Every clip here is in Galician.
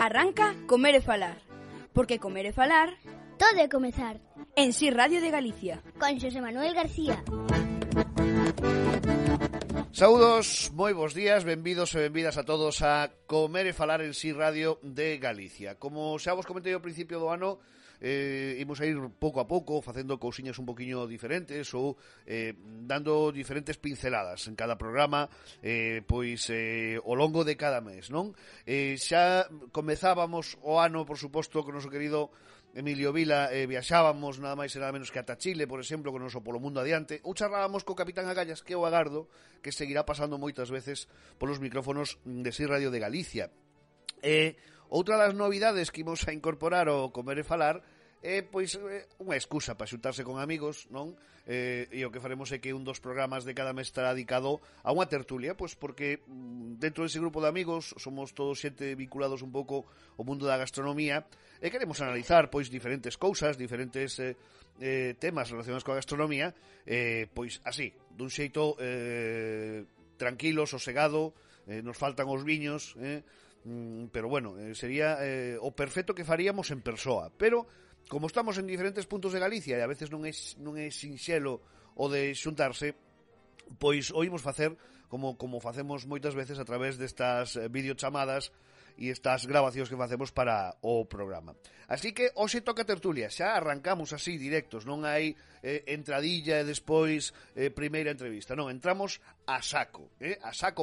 Arranca Comer e Falar, porque comer e falar todo é comezar. En Si Radio de Galicia, con Xosé Manuel García. Saúdos, moi bons días, benvidos e benvidas a todos a Comer e Falar en Si Radio de Galicia. Como xa vos comentei ao principio do ano, imos a ir pouco a pouco facendo cousiñas un poquinho diferentes ou dando diferentes pinceladas en cada programa, ao longo de cada mes, non? Xa comezábamos o ano, por suposto, con o noso querido Emilio Vila, viaxábamos nada máis e nada menos que ata Chile, por exemplo, con o noso Polo Mundo Adiante, ou charlábamos co Capitán Agallas, que eu agardo que seguirá pasando moitas veces polos micrófonos de Si Radio de Galicia. Outra das novidades que imos a incorporar ao Comer e Falar é unha excusa para xuntarse con amigos, non? E o que faremos é que un dos programas de cada mes estará dedicado a unha tertulia, pois porque dentro dese grupo de amigos somos todos xente vinculados un pouco ao mundo da gastronomía e queremos analizar pois diferentes cousas, diferentes temas relacionados coa gastronomía, pois así, dun xeito tranquilo, sosegado, nos faltan os viños, pero bueno, sería o perfecto que faríamos en persoa, pero como estamos en diferentes puntos de Galicia e a veces non é sinxelo o de xuntarse, pois o imos facer como facemos moitas veces a través destas videochamadas e estas grabacións que facemos para o programa. Así que hoxe toca tertulia, xa arrancamos así directos, non hai entradilla e despois primeira entrevista, non, entramos a saco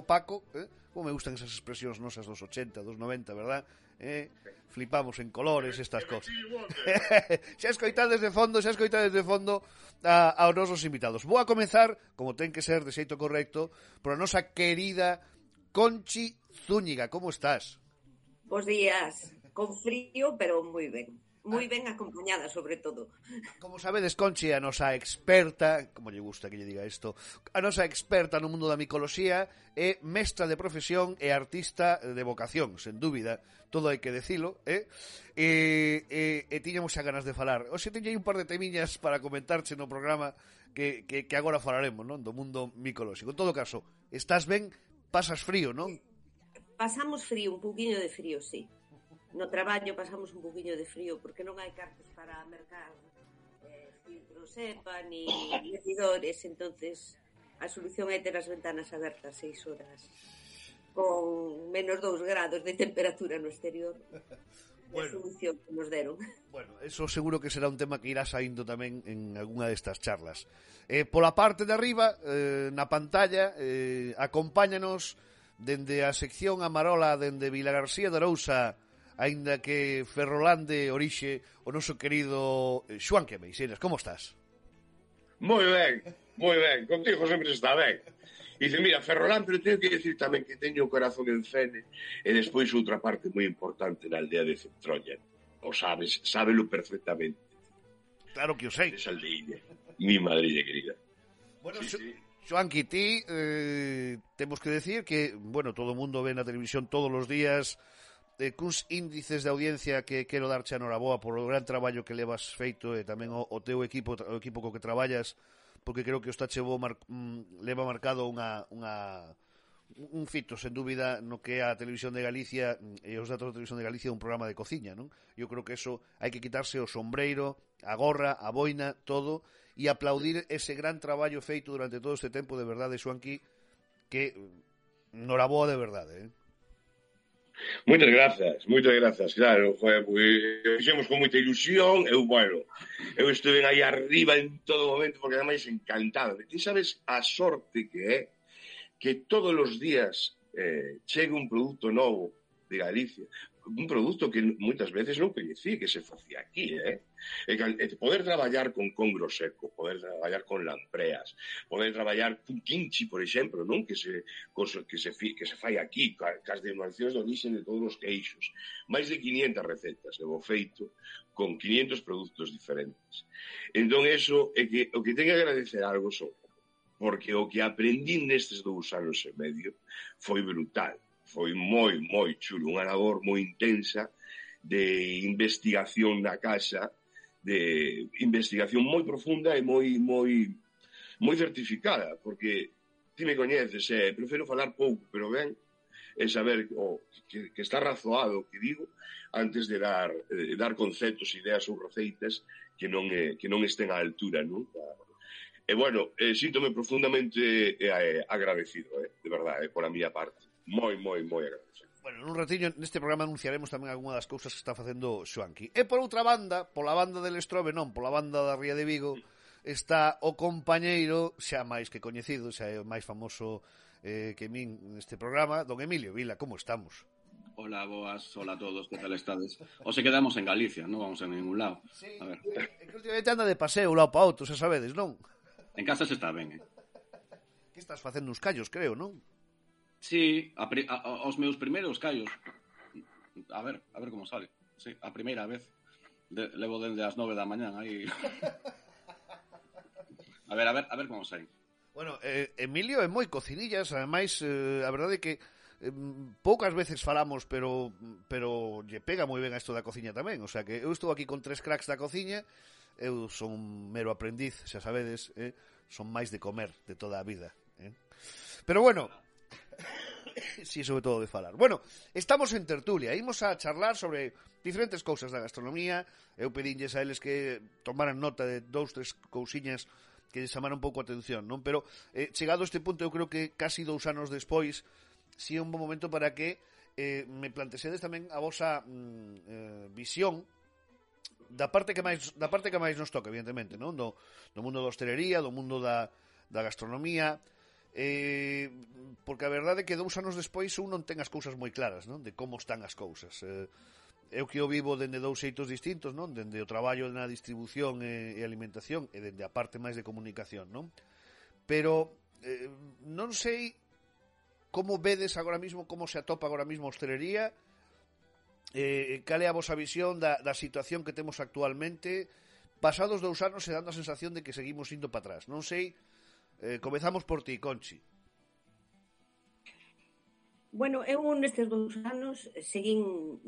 Paco, como me gustan esas expresións nosas dos 80, dos 90, verdad? Flipamos en colores estas cosas. Xa escoitades de fondo aos nosos invitados. Vou a comezar, como ten que ser de xeito correcto, por a nosa querida Conchi Zúñiga. Como estás? Bos días, con frío, pero moi ben. Moi ben acompañada, sobre todo. Como sabedes, Conchi, a nosa experta, como lle gusta que lle diga isto, a nosa experta no mundo da micoloxía, é mestra de profesión e artista de vocación, sen dúbida, todo hai que decilo, e tiñamos xa ganas de falar. Oxe, teño aí un par de temiñas para comentarche no programa que agora falaremos, non? Do mundo micolóxico. En todo caso, estás ben, pasas frío, non? Pasamos frío, un pouquiño de frío, sí. No traballo pasamos un poquinho de frío porque non hai cartos para mercar filtros EPA ni medidores, entonces a solución é ter as ventanas abertas 6 horas con menos 2 grados de temperatura no exterior. Bueno, a solución que nos deron. Bueno, eso seguro que será un tema que irá saindo tamén en algunha destas charlas. Pola parte de arriba, na pantalla, acompáñanos dende a sección Amarola, dende Vilagarcía de Arousa, aínda que Ferrolán de orixe, o noso querido Xoán Quemeixeiras. Como estás? Moi ben, contigo sempre está ben. E dice, mira, Ferrolán, pero teño que decir tamén que teño o corazón en Fene e despois outra parte moi importante na aldea de Centrolla. O sabes, sábelo perfectamente. Claro que o sei. Esa aldeiña, mi madrilla querida. Bueno, sí. Xoanqui, ti temos que decir que, bueno, todo o mundo ve na televisión todos os días cuns índices de audiencia que quero darche a noraboa por o gran traballo que levas feito e tamén o teu equipo, o equipo co que traballas, porque creo que o Stachevo leva marcado un fito, sen dúbida, no que é a Televisión de Galicia e os datos da Televisión de Galicia un programa de cociña, non? Eu creo que eso hai que quitarse o sombreiro, a gorra, a boina, todo, e aplaudir ese gran traballo feito durante todo este tempo, de verdade, Xoanqui, que noraboa de verdade, Moitas grazas, claro, fixemos con moita ilusión, eu estuve aí arriba en todo momento, porque ademais encantado. Ti sabes a sorte que é que todos os días chegue un produto novo de Galicia, un produto que moitas veces non coñecía que se facía aquí, poder traballar con congro seco, poder traballar con lampreas, poder traballar con quinchi, por exemplo, non? Que se fai aquí, cas denominacións de origen de todos os queixos. Máis de 500 recetas levo feito con 500 produtos diferentes. Entón, eso é que o que ten que agradecer algo son, porque o que aprendí nestes 2 anos e medio foi brutal. Foi moi chulo, unha labor moi intensa de investigación na casa, de investigación moi profunda e moi certificada, porque ti me coñeces, prefiro falar pouco, pero ben, e saber que está razoado o que digo antes de dar conceptos, ideas ou receitas que non estén á altura, non? E, bueno, síntome profundamente agradecido, de verdade, por a miña parte. Moi agradecido. Bueno, nun ratiño neste programa anunciaremos tamén algunha das cousas que está facendo Xoanqui. E por outra banda, pola banda del Estrobe, non, pola banda da Ría de Vigo, está o compañeiro xa máis que coñecido, xa é o máis famoso que min neste programa, don Emilio Vila. Como estamos? Hola, boas, hola a todos, que tal estades? O se quedamos en Galicia, non vamos a ningún lado. Sí, A ver. é que últimamente anda de paseo un lado para outro, xa sabedes, non? En casa se está ben, Que estás facendo uns callos, creo, non? Sí, os meus primeiros callos. A ver como sale. Sí, a primeira vez. Levo dende as 9 da mañán aí. A ver como sai. Bueno, Emilio é moi cocinillas, ademais, a verdade é que poucas veces falamos, pero lle pega moi ben a isto da cociña tamén, o sea que eu estou aquí con 3 cracks da cociña, eu son un mero aprendiz, xa sabedes, son máis de comer de toda a vida, pero bueno, sí, sobre todo de falar. Bueno, estamos en tertulia, imos a charlar sobre diferentes cousas da gastronomía. Eu pedinlles a eles que tomaran nota de 2-3 cousiñas que lles chamaron un pouco a atención, non? Pero chegado a este punto, eu creo que casi 2 anos despois, si é un bom momento para que me plantesedes tamén a vosa visión da parte que máis nos toca, evidentemente, non? Do mundo da hostelería, do mundo da gastronomía, porque a verdade é que 2 anos despois un non ten as cousas moi claras, non? De como están as cousas. Eu que o vivo dende 2 xeitos distintos, non? Dende o traballo na distribución e alimentación e dende a parte máis de comunicación, non? Pero non sei como vedes agora mismo, como se atopa agora mismo a hostelería, cal é a vosa visión da situación que temos actualmente, pasados 2 anos e dando a sensación de que seguimos indo para atrás. Non sei, comezamos por ti, Conchi. Bueno, eu nestes 2 anos seguín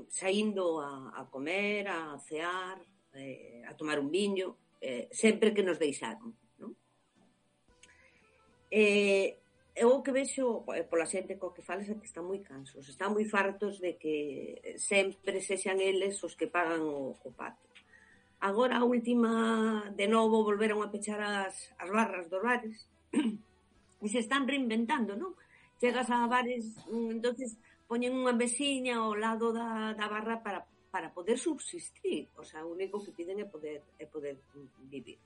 saindo a comer, a cear, a tomar un viño, sempre que nos deixaron, non? Eu que vexo pola xente co que fales é que están moi cansos, están moi fartos de que sempre sexan eles os que pagan o pato. Agora a última, de novo, volveron a pechar as barras dos bares e se están reinventando, non? Chegas a bares, entonces poñen unha mesiña ao lado da barra para poder subsistir, o sea, o único que piden é poder vivir.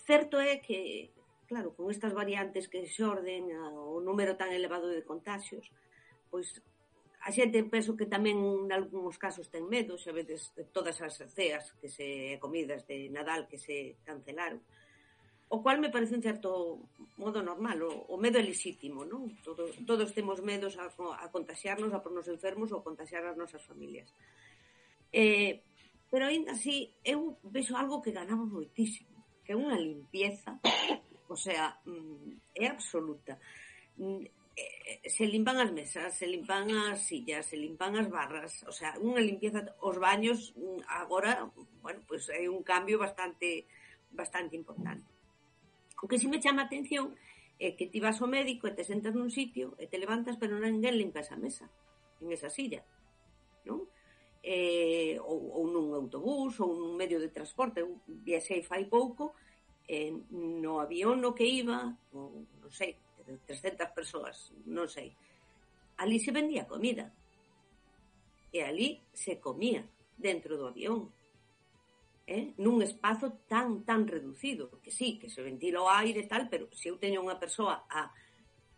Certo é que, claro, con estas variantes que xorden, o número tan elevado de contagios, pois a xente penso que tamén en algúns casos ten medo, xa vedes de todas as ceas comidas de Nadal que se cancelaron, o cual me parece un certo modo normal, o medo é lexítimo, non? Todos temos medos a contaxiarnos, a pornos enfermos ou a contaxiar as nosas familias. Pero ainda así, eu vexo algo que ganamos moitísimo, que é unha limpieza, o sea, é absoluta. Se limpan as mesas, se limpan as sillas, se limpan as barras, o sea, unha limpieza. Os baños agora, bueno, pois hai un cambio bastante importante. O que si me chama a atención é que ti vas ao médico e te sentas nun sitio e te levantas, pero ninguén limpa esa mesa, en esa silla, non? Ou nun autobús ou nun medio de transporte. Eu viaxei fai pouco no avión no que iba, non sei, 300 persoas, non sei. Ali se vendía comida e ali se comía dentro do avión, nun espazo tan reducido, que sí, que se ventila o aire e tal, pero se eu teño unha persoa a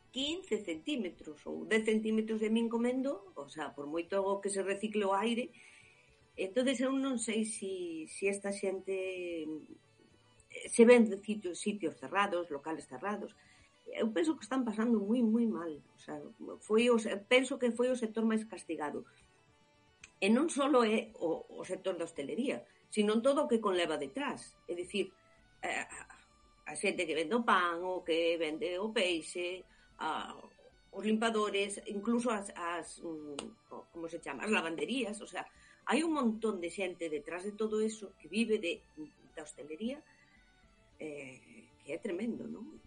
15 centímetros ou 10 centímetros de min comendo, o sea, por moito que se recicle o aire, entonces eu non sei se esta xente se ven de sitios cerrados, locales cerrados. Eu penso que están pasando moi mal, o sea, penso que foi o sector máis castigado. E non só é o sector da hostelería, sino todo o que conleva detrás. É dicir, a xente que vende o pan, o que vende o peixe, os limpadores, incluso as como se chama, as lavanderías, o sea, hai un montón de xente detrás de todo eso que vive da hostelería, que é tremendo, non?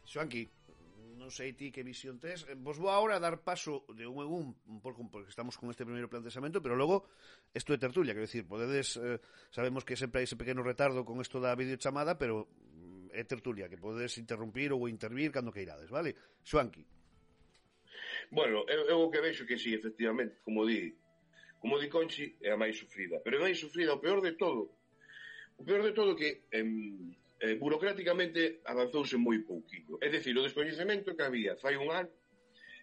Xoanqui, non sei ti que visión tes. Vos vou agora a dar paso de un en un pouco porque estamos con este primeiro planteamento, pero logo isto é tertulia, quero dicir, podedes, sabemos que sempre hai ese pequeno retardo con isto da videochamada, pero é tertulia, que podedes interrumpir ou intervir cando queirades, vale? Xoanqui. Bueno, eu o que vexo que sí, efectivamente, como di Conchi, é a máis sufrida. Pero é máis sufrida, o peor de todo que burocráticamente avanzouse moi pouquinho. É dicir, o descoñecemento que había fai un ano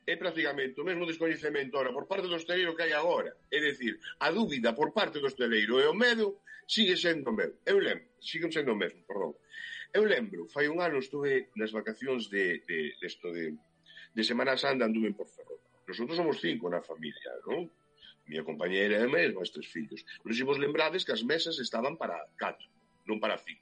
é prácticamente o mesmo descoñecemento ahora por parte do hosteleiro que hai agora. É dicir, a dúbida por parte do hosteleiro e o medo sigue sendo o mesmo. Siguen sendo o mesmo, perdón. Eu lembro, fai un ano estuve nas vacacións de Semana Santa, anduve por Ferrol. Nosotros somos 5 na familia, non? Miña compañera e mesmo, os 3 fillos. Nos vos lembrades que as mesas estaban para 4, non para 5.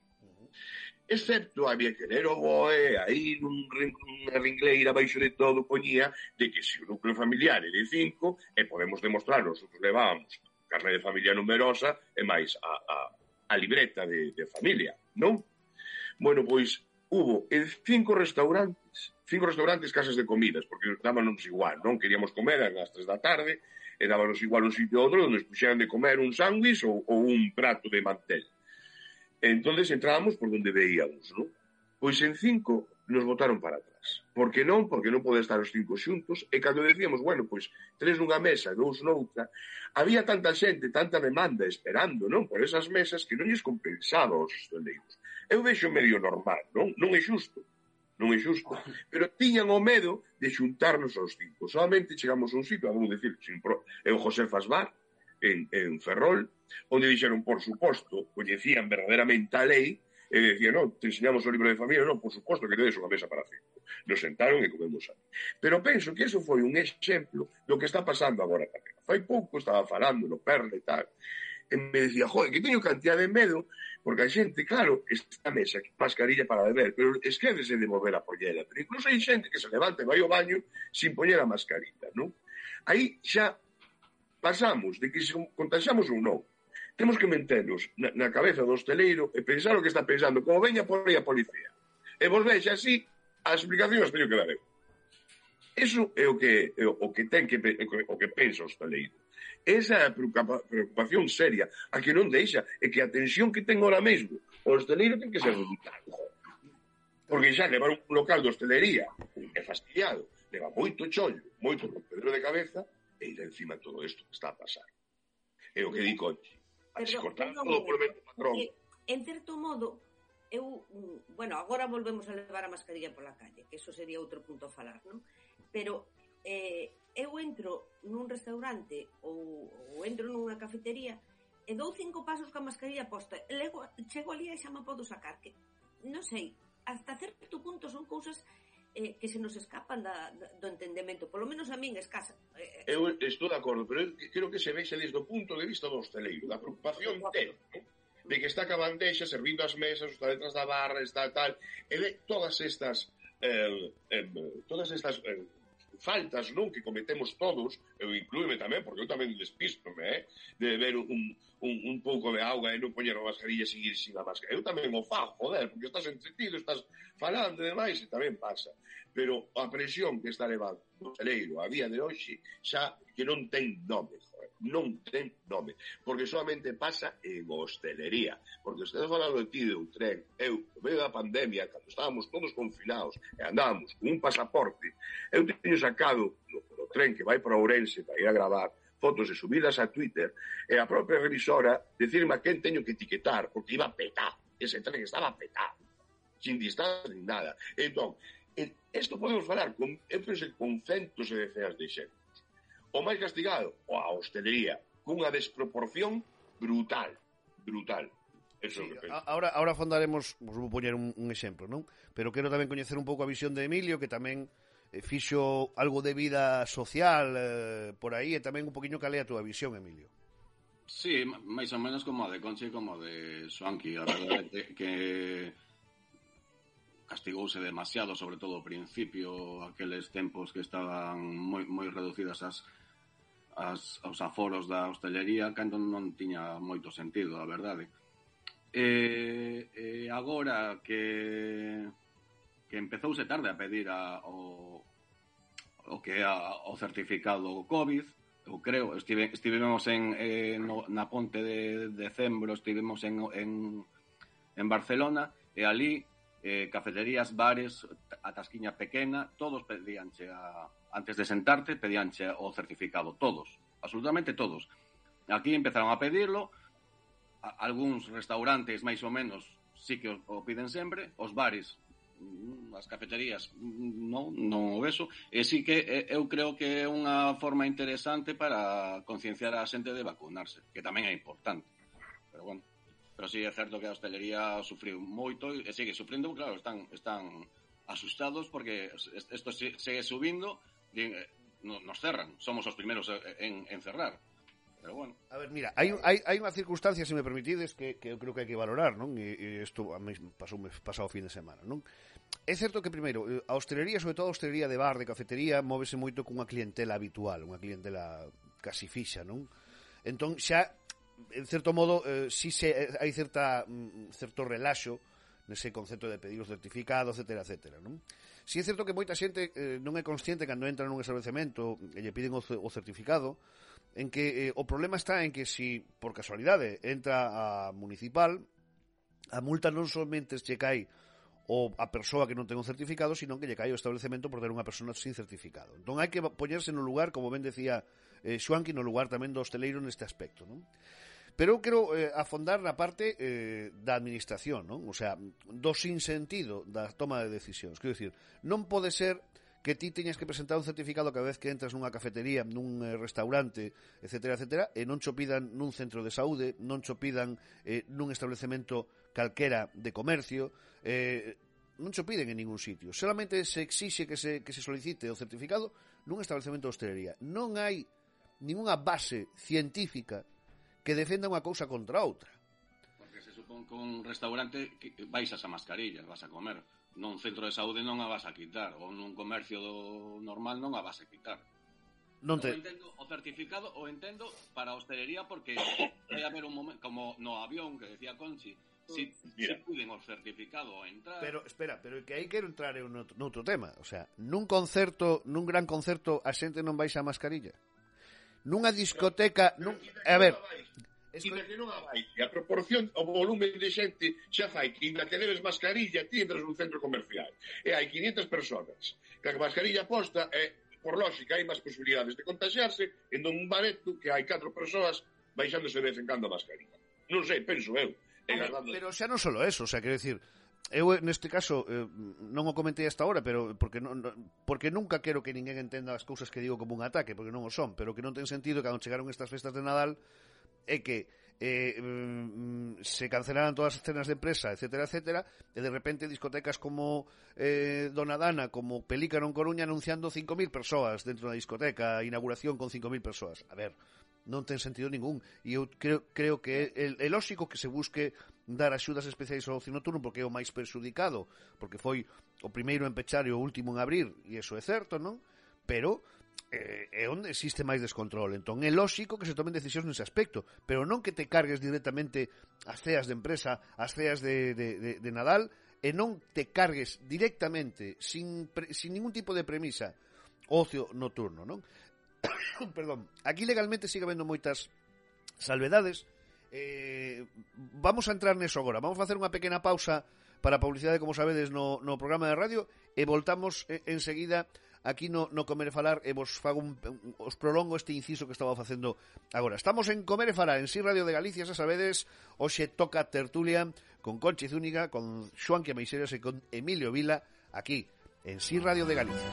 Excepto había que ler o BOE, aí nunha ringleira baixo de todo poñía de que se o núcleo familiar é de 5 e podemos demostrar, nosotros levábamos carne de familia numerosa e máis a libreta de familia, non? Bueno, pois hubo en 5 restaurantes casas de comidas, porque dábanos igual, non? Queríamos comer ás 3 da tarde e dábanos igual un sitio ou outro onde nos puxeran de comer un sándwich ou un prato de mantel. Entonces entrábamos por donde veíamos, ¿no? Pois en 5 nos botaron para atrás. Por que non? Porque non pode estar os 5 xuntos. E cando decíamos, bueno, pois 3 nunha mesa e 2 noutra, había tanta xente, tanta demanda esperando, non? Por esas mesas que non lles compensaba aos hosteleiros. Eu vexo medio normal, non? Non é xusto. Pero tiñan o medo de xuntarnos aos 5. Solamente chegamos a un sitio, vamos decir, é o José Fasbar, en Ferrol, onde dixeron, por suposto, coñecían verdadeiramente a lei, e decían, non, te enseñamos o libro de familia, non, por suposto que tedes unha mesa para 5. Nos sentaron e comemos aí. Pero penso que eso foi un exemplo do que está pasando agora tamén. Fai pouco estaba falando no Perle e tal, e me decía, joder, que teño cantidad de medo, porque a xente, claro, esta mesa, mascarilla para beber, pero esquédese de volver a poñela. Pero incluso hai xente que se levanta e vai ao baño sin poñer a mascarilla, non? Aí xa pasamos de que se contagiamos ou non. Temos que meternos na cabeza do hosteleiro e pensar o que está pensando, como veña por aí a policía. E vos vexe así, as explicacións teño que dar eu. Eso é o que pensa o hosteleiro. Esa é a preocupación seria, a que non deixa, e que a tensión que ten ahora mesmo o hosteleiro ten que ser reductada. Porque xa levar un local de hostelería é fastidiado, leva moito chollo, moito rompedero de cabeza, e ir encima de todo isto que está a pasar. É o que di Conchi. A descortar todo por medio patrón. En certo modo, bueno, agora volvemos a levar a mascarilla pola calle, que eso sería outro punto a falar, non? Pero eu entro nun restaurante ou entro nunha cafetería e dou 5 pasos ca mascarilla posta e logo chego ali e xa me podo sacar, que non sei, hasta certo punto son cousas que se nos escapan do entendemento, polo menos a min escasa. Eu estou de acordo, pero creo que se vexe desde o punto de vista do hosteleiro, da preocupación de que está ca bandexa, servindo as mesas, está detrás da barra, está tal, e de todas estas faltas, non, que cometemos todos, eu inclúeme tamén, porque eu tamén despístome, de beber un pouco de auga e non poñer a mascarilla e seguir sin a mascarilla. Eu tamén o fago, joder, porque estás entretido, estás falando e demais, e tamén pasa. Pero a presión que está levando o hosteleiro a día de hoxe xa que non ten nome, joder, non ten nome, porque solamente pasa en hostelería, porque estás falando de ti de un tren, eu, no medio da pandemia, cando estábamos todos confinados e andábamos con un pasaporte, eu teño sacado no tren que vai para Ourense para ir a gravar fotos e subidas a Twitter, e a propia revisora decirme a quen teño que etiquetar, porque iba petado, ese tren estaba petado, sin distancia ni nada. Entón, isto podemos falar eu penso con centos e decenas de exemplos. O máis castigado, a hostelería, cunha desproporción brutal. Eso sí, ahora fondaremos, vos vou poñer un exemplo, non? Pero quero tamén coñecer un pouco a visión de Emilio, que tamén fixo algo de vida social por aí, e tamén un poquinho calea a túa visión, Emilio. Sí, máis ou menos como a de Conchi e como a de Xoanqui. A verdade que castigouse demasiado, sobre todo ao principio, aqueles tempos que estaban moi reducidas aos aforos da hostelería, cando non tiña moito sentido, a verdade. Agora que empezouse tarde a pedir o o que é o certificado COVID, eu creo, estivemos na ponte de decembro, estivemos en Barcelona, e ali cafeterías, bares, a tasquiña pequena, todos pedíanche antes de sentarte, pedíanche o certificado, todos, absolutamente todos. Aquí empezaron a pedirlo, algúns restaurantes máis ou menos sí que o piden sempre, os bares, as cafeterías non o veso, e sí que eu creo que é unha forma interesante para concienciar a xente de vacunarse, que tamén é importante, pero bueno. Pero sí é certo que a hostelería sufriu moito e sigue sufrindo, claro, están asustados porque isto segue subindo, nos cerran, somos os primeiros en cerrar. Pero bueno. A ver, mira, hai unha circunstancia, se me permitides, que eu creo que hai que valorar, non? E isto a mí pasou o fin de semana, non? É certo que, primeiro, a hostelería, sobre todo a hostelería de bar, de cafetería, móvese moito cunha clientela habitual, unha clientela casi fixa, non? Entón, xa, en certo modo, si hai certo relaxo nese concepto de pedir o certificado, etcétera, etcétera, non? Si é certo que moita xente non é consciente cando entra nun establecemento e lle piden o certificado, en que o problema está en que si por casualidade entra a municipal, a multa non somente lle cae a persoa que non ten un certificado, sino que lle cae o establecemento por ter unha persona sin certificado. Entón hai que poñerse no lugar, como ben decía Xuanqui, no lugar tamén do hosteleiro neste aspecto, non? Pero eu quero afondar na parte da administración, non? O sea, do sinsentido da toma de decisións. Quero dicir, non pode ser que ti teñas que presentar un certificado cada vez que entras nunha cafetería, nun restaurante, etcétera, etcétera, e non cho pidan nun centro de saúde, non cho pidan nun establecemento calquera de comercio, non cho piden en ningún sitio. Solamente se exixe que se solicite o certificado nun establecemento de hostelería. Non hai ninguna base científica que defenda unha cousa contra outra. Porque se supón que un restaurante vais a mascarilla, vas a comer. Nun centro de saúde non a vas a quitar, ou nun comercio normal non a vas a quitar. Non te... O entendo o certificado, o entendo para a hostelería, porque vai haber un momento, como no avión que decía Conchi, si piden o certificado a entrar... Pero, espera, pero que aí quero entrar en outro tema. O sea, nun gran concerto, a xente non vais a mascarilla. Nunha discoteca... A ver... A proporción, o volumen de xente xa fai que na que leves mascarilla ti entras nun centro comercial e hai 500 personas que a mascarilla posta por lógica hai máis posibilidades de contagiarse en un bareto que hai 4 persoas baixándose de vez en cando a mascarilla. Non sei, penso eu. Pero xa non solo eso, o sea, quero dicir, eu neste caso non o comentei hasta ahora, pero porque nunca quero que ninguén entenda as cousas que digo como un ataque, porque non o son, pero que non ten sentido que cando chegaron estas festas de Nadal é que se cancelaran todas as cenas de empresa, etcétera, etcétera, e de repente discotecas como Dona Dana, como Pelícano en Coruña anunciando 5.000 persoas dentro da discoteca, inauguración con 5.000 persoas. A ver, non ten sentido ningún, e eu creo que é lógico que se busque dar axudas especiais ao ocio nocturno porque é o máis perxudicado, porque foi o primeiro en pechar e o último en abrir, e iso é certo, non? Pero é onde existe máis descontrol. Entón é lógico que se tomen decisións nese aspecto, pero non que te cargues directamente as ceas de empresa, as ceas de Nadal, e non te cargues directamente sin ningún tipo de premisa ocio nocturno, non? Perdón, aquí legalmente sigue habendo moitas salvedades. Vamos a entrar neso agora. Vamos a facer unha pequena pausa para a publicidade, como sabedes, no programa de radio, e voltamos enseguida aquí no Comer e Falar, e vos prolongo este inciso que estaba facendo agora. Estamos en Comer e Falar, en Si Radio de Galicia, xa sabedes, hoxe toca tertulia con Conchi Zúñiga, con Xuanqui Ameixeiras e con Emilio Vila, aquí, en Si Radio de Galicia.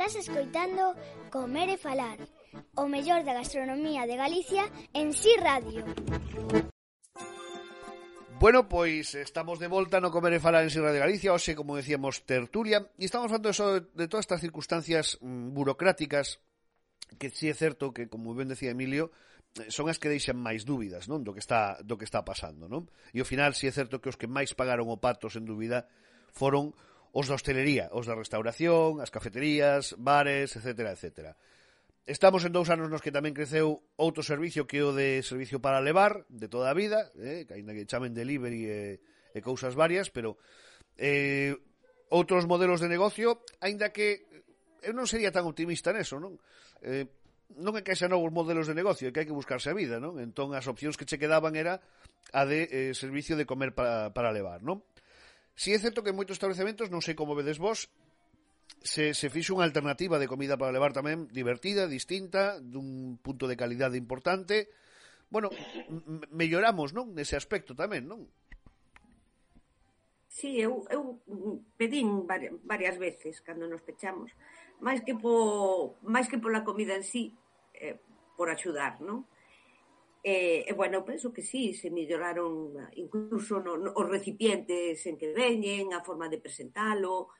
Estás escoitando Comer e Falar, o mellor da gastronomía de Galicia en Si Radio. Bueno, pois estamos de volta no Comer e Falar en Si Radio Galicia, hoxe, como decíamos, tertulia, e estamos falando de todas estas circunstancias burocráticas que sí é certo que, como ben decía Emilio, son as que deixan máis dúbidas, non, do que está pasando, non? E ao final sí é certo que os que máis pagaron o pato, sen dúbida, foron os da hostelería, os da restauración, as cafeterías, bares, etcétera, etcétera. Estamos en 2 anos nos que tamén creceu outro servicio que o de servicio para levar, de toda a vida, que ainda que chamen delivery e cousas varias, pero outros modelos de negocio, ainda que eu non sería tan optimista neso, non? Non é que xa novos modelos de negocio, é que hai que buscarse a vida, non? Entón as opcións que che quedaban era a de servicio de comer para levar, non? Si é certo que en moitos establecementos, non sei como vedes vos, se fixo unha alternativa de comida para levar tamén divertida, distinta, dun punto de calidade importante. Bueno, melloramos, non? Nese aspecto tamén, non? Sí, eu pedín varias veces cando nos pechamos, máis que pola comida en sí, por axudar, non? Bueno, penso que sí, se melloraron incluso os recipientes en que veñen, a forma de presentalo.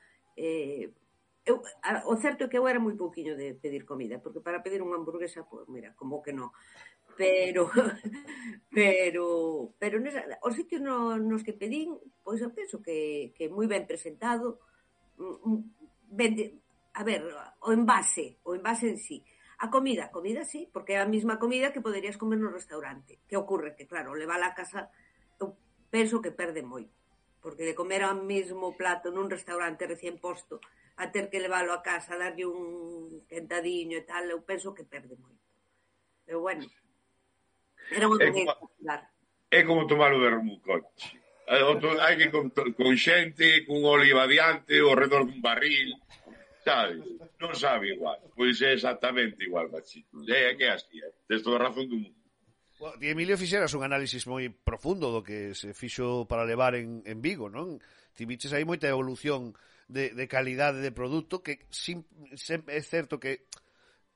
O certo é que eu era moi pouquiño de pedir comida, porque para pedir unha hamburguesa, pues mira, como que non. Pero os sitios nos que pedín, pois eu penso que moi ben presentado, a ver, o envase en sí. A comida sí, porque é a mesma comida que poderías comer no restaurante. Que ocorre? Que claro, levala a casa, eu penso que perde moito, porque de comer ao mesmo plato nun restaurante recién posto a ter que levalo a casa, darlle un quentadiño e tal, eu penso que perde moito. Pero bueno, era unha maneira de dar. É como tomar o vermú, coche. Hai que con xente, cun oliva diante, ao redor dun barril, sabes? Non sabe igual. Pois é exactamente igual, machito. É que é así, tes toda a razón do mundo. Bueno, ti, Emilio, fixeras un análisis moi profundo do que se fixo para levar en Vigo, non? Ti viches aí moita evolución de calidade de produto que é certo que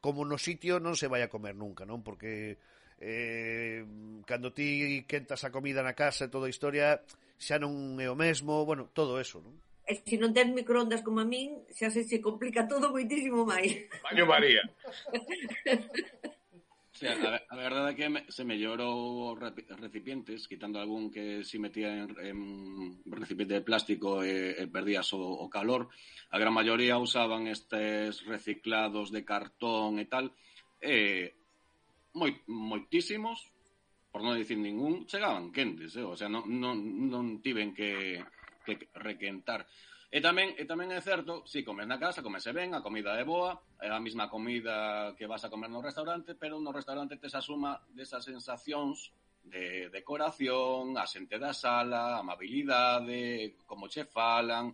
como no sitio non se vai a comer nunca, non? Porque cando ti quentas a comida na casa e toda a historia xa non é o mesmo, bueno, todo eso, non? E se non tens microondas como a min, xa se complica todo moitísimo máis. Baño María. Sí, a verdade é que se mellorou os recipientes, quitando algún que si metía en recipiente de plástico e perdías o calor. A gran maioría usaban estes reciclados de cartón e tal, moitísimos, por non dicir ningún, chegaban quentes, o sea, non tiven que requentar. E tamén é certo, si comes na casa, comese ben, a comida é boa, é a mesma comida que vas a comer no restaurante, pero no restaurante tes a suma desas sensacións de decoración, a xente da sala, a amabilidade, como che falan,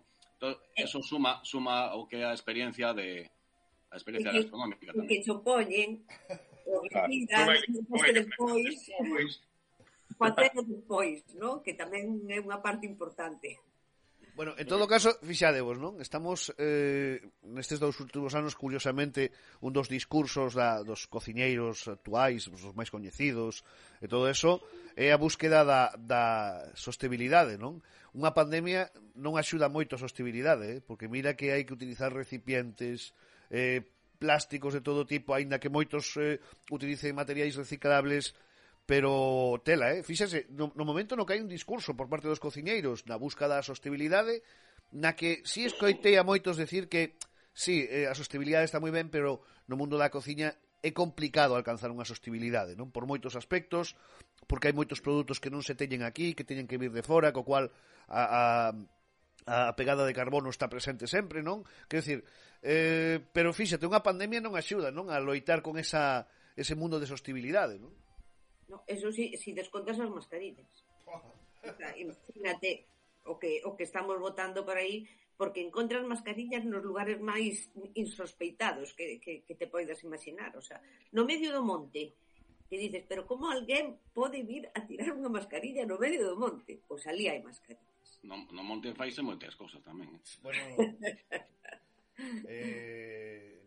eso suma o que é a experiencia gastronómica tamén. Que xo poñen, o bebidas, despois, non? Que tamén é unha parte importante. Bueno, en todo caso, fixadevos, non? Estamos nestes 2 últimos anos, curiosamente, un dos discursos dos cociñeiros actuais, os máis coñecidos, e todo eso, é a búsqueda da sostenibilidade, non? Unha pandemia non axuda moito a sostenibilidade, porque mira que hai que utilizar recipientes, plásticos de todo tipo, aínda que moitos utilicen materiais reciclables, pero tela, fíxase, no momento no que hai un discurso por parte dos cociñeiros na busca da sostenibilidade, na que si escoitei a moitos decir que si, a sostenibilidade está moi ben, pero no mundo da cociña é complicado alcanzar unha sostenibilidade, non? Por moitos aspectos, porque hai moitos produtos que non se teñen aquí, que teñen que vir de fora, co cual a pegada de carbono está presente sempre, non? Quero dicir, pero fíxate, unha pandemia non axuda, non? A loitar con ese mundo de sostenibilidade, non? No, eso sí, si descontas as mascarillas. O sea, imagínate o que estamos botando por aí, porque encontras mascarillas nos lugares máis insospeitados que te poidas imaginar. O sea, no medio do monte, que dices, pero como alguén pode vir a tirar unha mascarilla no medio do monte? Pois ali hai mascarillas. No monte faise moitas cousas tamén. Bueno,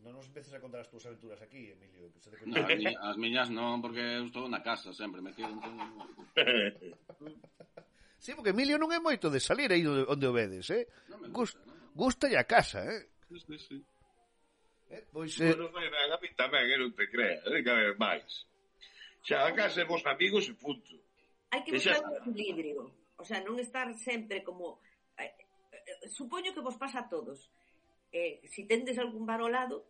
non a contar as túas aventuras aquí, Emilio. No, as miñas non, porque eu estou na casa sempre metido. Sí, porque Emilio non é moito de salir aí onde o vedes, Non me gusta, non? Gustalle a casa, Sí. Pois, Bueno, a mí tamén, non te creas, que haber máis. Xa, a casa é vos amigos e punto. Hai que buscar un equilibrio. O sea, non estar sempre como... supoño que vos pasa a todos. Si tendes algún bar ao lado,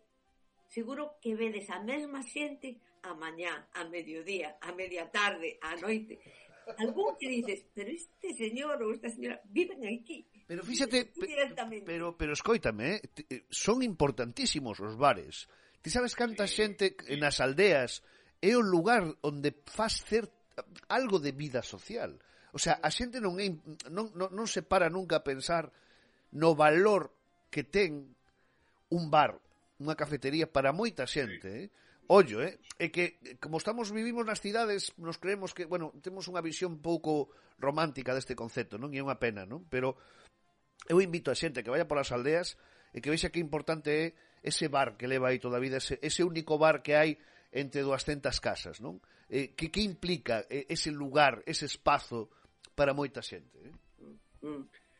seguro que vedes a mesma xente a mañá, a mediodía, a media tarde, a noite. Algún que dices, pero este señor ou esta señora viven aquí. Pero fíxate, pero escóitame, son importantísimos os bares. Ti sabes canta xente nas aldeas é o lugar onde faz algo de vida social. O sea, a xente non se para nunca a pensar no valor que ten un bar, unha cafetería para moita xente, Ollo, é que como vivimos nas cidades, nos creemos que, bueno, temos unha visión pouco romántica deste concepto, non? E é unha pena, non? Pero eu invito a xente que vaya polas aldeas e que vexa que importante é ese bar que leva aí toda a vida, ese único bar que hai entre 200 casas, non? Que implica ese lugar, ese espazo para moita xente,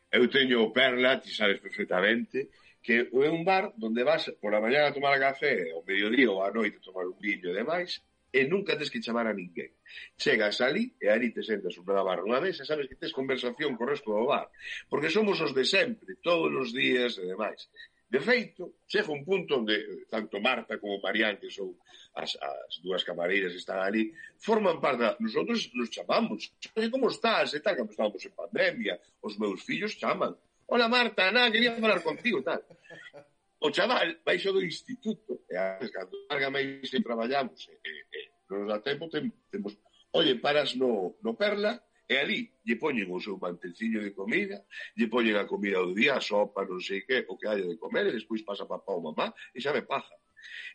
Eu teño Perla, ti sabes perfectamente, que é un bar onde vas por a mañana a tomar café, ao mediodía ou á noite a tomar un viño e demais, e nunca tes que chamar a ninguén. Chegas ali e ali te sentas sobre a barra unha mesa e sabes que tes conversación co resto do bar. Porque somos os de sempre, todos os días e demais. De feito, chega un punto onde tanto Marta como Marián, que son as dúas camareiras que están ali, forman parte. Nosotros nos chamamos. Como estás? E tal, como estábamos en pandemia, os meus fillos chaman. Hola Marta, quería falar contigo, tal. O chaval baixo do instituto, e cando larga máis e traballamos, non nos dá tempo, temos, oye, paras no Perla, e ali lle poñen o seu mantelciño de comida, lle poñen a comida do día, a sopa, non sei que, o que haya de comer, e despois pasa papá ou mamá, e xa me paja.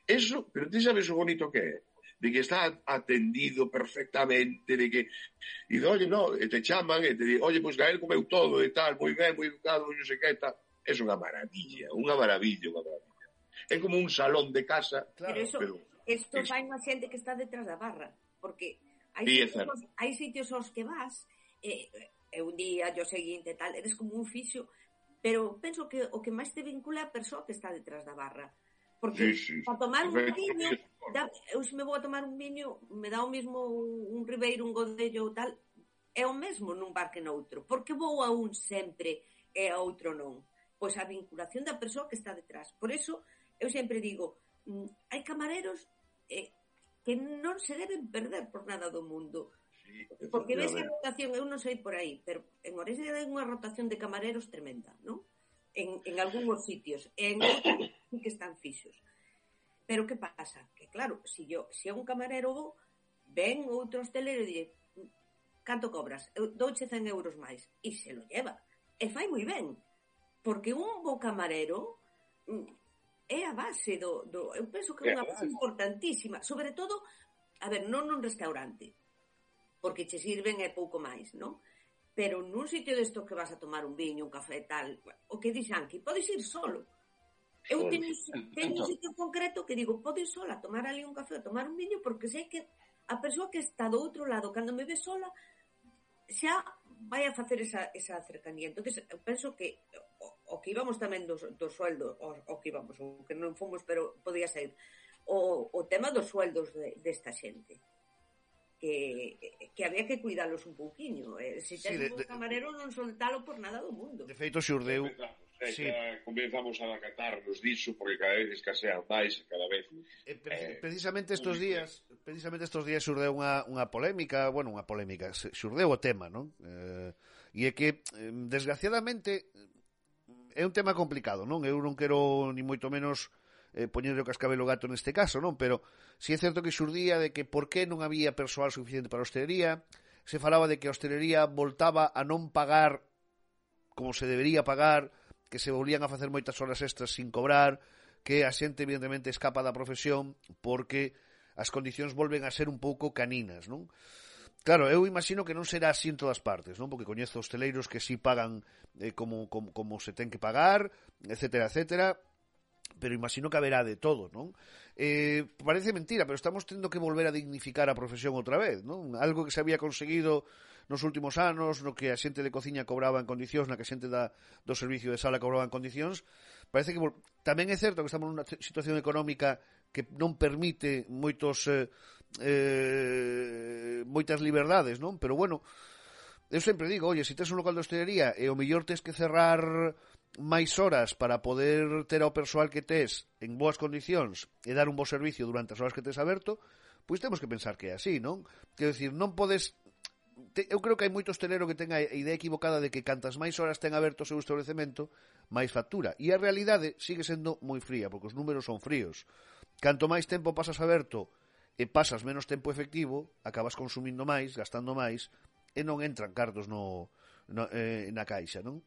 Eso, pero ti sabes o bonito que é? De que está atendido perfectamente, de que, e oye, no, e te chaman, e te di, oye, pois Gael comeu todo, e tal, moi ben, moi educado, non sei que, tal. É unha maravilla, unha maravilla. É como un salón de casa. Claro. Pero isto fai unha xente que está detrás da barra, porque hai sitios aos que vas, e un día, o seguinte, tal, eres como un fixo, pero penso que o que máis te vincula é a persoa que está detrás da barra. Porque para tomar un viño, eu se me vou a tomar un viño, me dá o mesmo un Ribeiro, un Godello ou tal, é o mesmo nun bar que noutro. Porque vou a un sempre e a outro non? Pois a vinculación da persoa que está detrás. Por eso, eu sempre digo, hai camareros que non se deben perder por nada do mundo. Porque ves a rotación, eu non sei por aí, pero en Orense hai unha rotación de camareros tremenda, non? En algúns sitios, en outros sí que están fixos. Pero que pasa? Que claro, se é un camarero ven outro hostelero e dice, canto cobras? Eu douche 100 euros máis. E se lo lleva. E fai moi ben. Porque un bo camarero é a base do eu penso que é unha base importantísima. Sobre todo, a ver, non nun restaurante, porque che sirven é pouco máis, non? Pero nun sitio desto que vas a tomar un viño, un café, tal, o que dixen aquí, podes ir solo. Eu teño un sitio concreto que digo, podes ir sola a tomar ali un café, a tomar un viño, porque sei que a persoa que está do outro lado, cando me ve sola, xa vai a facer esa cercanía. Entonces, eu penso que o que íbamos tamén do sueldo, o que íbamos, o que non fomos, pero podía ser, o tema dos sueldos desta xente. Que había que cuidalos un pouquiño. Se tens un camarero non soltalo por nada do mundo. De feito, xurdeu... Comenzamos a acatarnos disso porque cada vez escasean máis cada vez. Precisamente estos días xurdeu unha polémica, xurdeu o tema, non? E é que, desgraciadamente, é un tema complicado, non? Eu non quero ni moito menos poñerle o cascabelo gato neste caso, non? Pero si é certo que xurdía de que por que non había persoal suficiente para a hostelería, se falaba de que a hostelería voltaba a non pagar como se debería pagar, que se volvían a facer moitas horas extras sin cobrar, que a xente evidentemente escapa da profesión porque as condicións volven a ser un pouco caninas, non? Claro, eu imagino que non será así en todas partes, non? Porque coñezo hosteleiros que sí pagan como se ten que pagar, etcétera, etcétera. pero imagino que haberá de todo, non? Parece mentira, pero estamos tendo que volver a dignificar a profesión outra vez, non? Algo que se había conseguido nos últimos anos, no que a xente de cociña cobraba en condicións, na que a xente do servicio de sala cobraba en condicións, parece que tamén é certo que estamos nunha situación económica que non permite moitas liberdades, non? Pero bueno, eu sempre digo, oye, se tes un local de hostelería e o mellor tes que cerrar máis horas para poder ter ao persoal que tes en boas condicións e dar un bo servicio durante as horas que tes aberto, pois temos que pensar que é así, non? Quero dicir, non podes... Eu creo que hai moito hostelero que ten a idea equivocada de que cantas máis horas ten aberto o seu establecemento, máis factura. E a realidade sigue sendo moi fría, porque os números son fríos. Canto máis tempo pasas aberto e pasas menos tempo efectivo, acabas consumindo máis, gastando máis, e non entran cartos na caixa, non?